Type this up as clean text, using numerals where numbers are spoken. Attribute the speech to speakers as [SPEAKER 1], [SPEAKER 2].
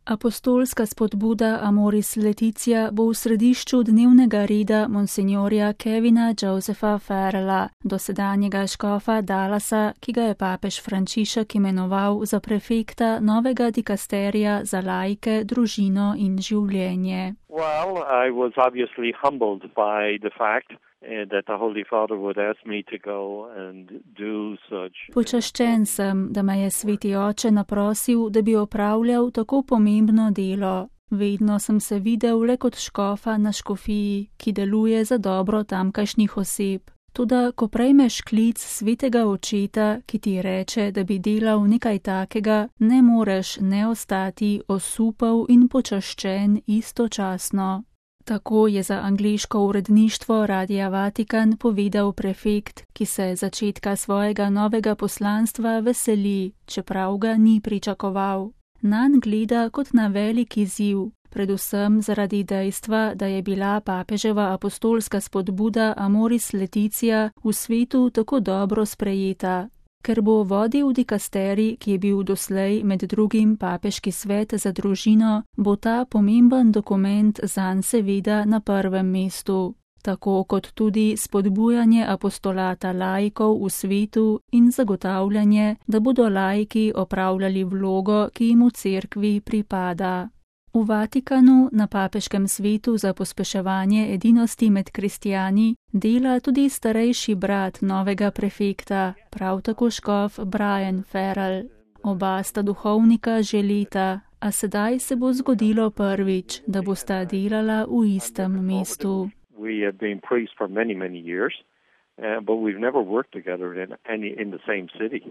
[SPEAKER 1] Apostolska spodbuda Amoris Laetitia bo v središču dnevnega reda monsignorja Kevina Josepha Farrella, dosedanjega škofa Dallasa, ki ga je papež Frančišek imenoval za prefekta novega dikasterija za laike, družino in življenje.
[SPEAKER 2] Well, I was obviously humbled by the fact that the Holy Father would ask me to go and do such.
[SPEAKER 1] Počaščen sem, da me je sveti oče naprosil, da bi opravljal tako pomembno delo. Vedno sem se videl le kot škofa na škofiji, ki deluje za dobro tamkajšnjih oseb. Toda, ko prejmeš klic svetega očeta, ki ti reče, da bi delal nekaj takega, ne moreš ne ostati osupel in počaščen istočasno. Tako je za angleško uredništvo Radia Vatikan povedal prefekt, ki se začetka svojega novega poslanstva veseli, čeprav ga ni pričakoval. Nanj gleda kot na velik izziv, predvsem zaradi dejstva, da je bila papeževa apostolska spodbuda Amoris Laetitia v svetu tako dobro sprejeta. Ker bo vodil dikasterij, ki je bil doslej med drugim papeški svet za družino, bo ta pomemben dokument zanj seveda na prvem mestu, tako kot tudi spodbujanje apostolata laikov v svetu in zagotavljanje, da bodo laiki opravljali vlogo, ki jim v cerkvi pripada. V Vatikanu na papeškem svetu za pospeševanje edinosti med kristijani dela tudi starejši brat novega prefekta, prav tako škof Brian Farrell. Oba sta duhovnika že leta, a sedaj se bo zgodilo prvič, da bosta delala v istem mestu.
[SPEAKER 2] We have been priests for many years, but we've never worked together in the same city.